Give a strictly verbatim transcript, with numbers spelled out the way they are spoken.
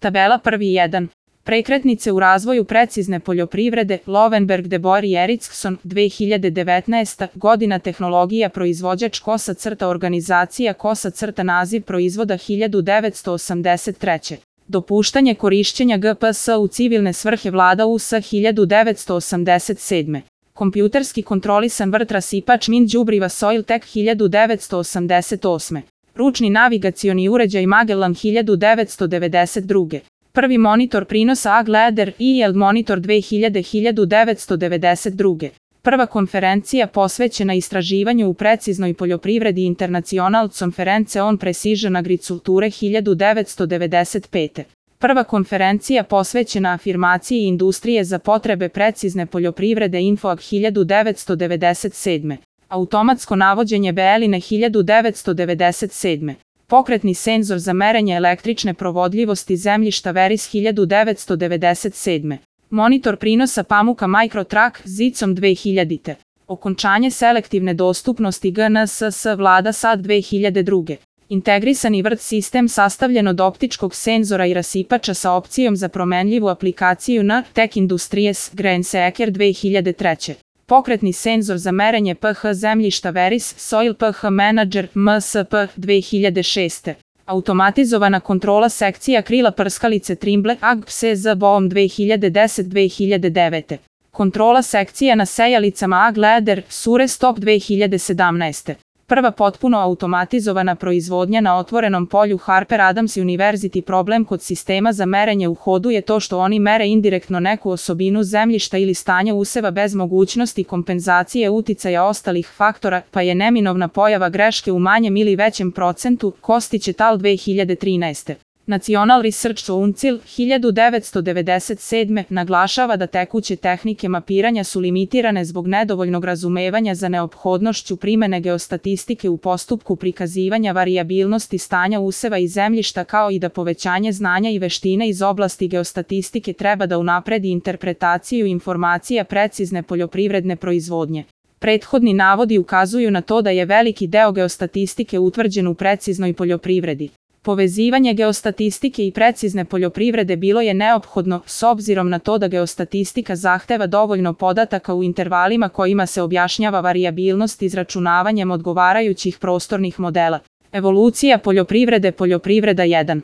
Tabela prvi jedan. Prekretnice u razvoju precizne poljoprivrede, Lovenberg, De Boer i Eriksson, dve hiljade devetnaesta. godina, tehnologija, proizvođač, kosa crta, organizacija, kosa crta, naziv proizvoda hiljadu devetsto osamdeset treće. Dopuštanje korišćenja G P S u civilne svrhe Vlada U S hiljadu devetsto osamdeset sedme. Kompjuterski kontrolisan vrt rasipač min đubriva Soiltek hiljadu devetsto osamdeset osme. Ručni navigacioni uređaj Magellan hiljadu devetsto devedeset druge. Prvi monitor prinosa A G Leder I L monitor dve hiljade hiljadu devetsto devedeset druge. Prva konferencija posvećena istraživanju u preciznoj poljoprivredi International Conference on Precision Agriculture hiljadu devetsto devedeset pete. Prva konferencija posvećena afirmaciji industrije za potrebe precizne poljoprivrede InfoAg hiljadu devetsto devedeset sedme. Automatsko navođenje Beeline hiljadu devetsto devedeset sedme. Pokretni senzor za merenje električne provodljivosti zemljišta Veris hiljadu devetsto devedeset sedme. Monitor prinosa pamuka MicroTrack zicom dve hiljadite. Okončanje selektivne dostupnosti G N S S Vlada Sad dve hiljade druge. Integrisani vrt sistem sastavljen od optičkog senzora i rasipača sa opcijom za promenljivu aplikaciju N Tech Industries Grainseeker dve hiljade treće. Pokretni senzor za merenje pH zemljišta Veris Soil pH Manager M S P dve hiljade šeste. Automatizovana kontrola sekcija krila prskalice Trimble A G P S Z Boom dve hiljade deset do dve hiljade devete. Kontrola sekcija na sejalicama A G Leder Sure Stop dve hiljade sedamnaeste. Prva potpuno automatizovana proizvodnja na otvorenom polju Harper Adams University. Problem kod sistema za merenje u hodu je to što oni mere indirektno neku osobinu zemljišta ili stanja useva bez mogućnosti kompenzacije uticaja ostalih faktora, pa je neminovna pojava greške u manjem ili većem procentu, Kostić et al. dve hiljade trinaeste. National Research Council hiljadu devetsto devedeset sedme. naglašava da tekuće tehnike mapiranja su limitirane zbog nedovoljnog razumevanja za neophodnošću primene geostatistike u postupku prikazivanja varijabilnosti stanja useva i zemljišta, kao i da povećanje znanja i veštine iz oblasti geostatistike treba da unapredi interpretaciju informacija precizne poljoprivredne proizvodnje. Prethodni navodi ukazuju na to da je veliki deo geostatistike utvrđen u preciznoj poljoprivredi. Povezivanje geostatistike i precizne poljoprivrede bilo je neophodno, s obzirom na to da geostatistika zahteva dovoljno podataka u intervalima kojima se objašnjava varijabilnost izračunavanjem odgovarajućih prostornih modela. Evolucija poljoprivrede. Poljoprivreda jedan.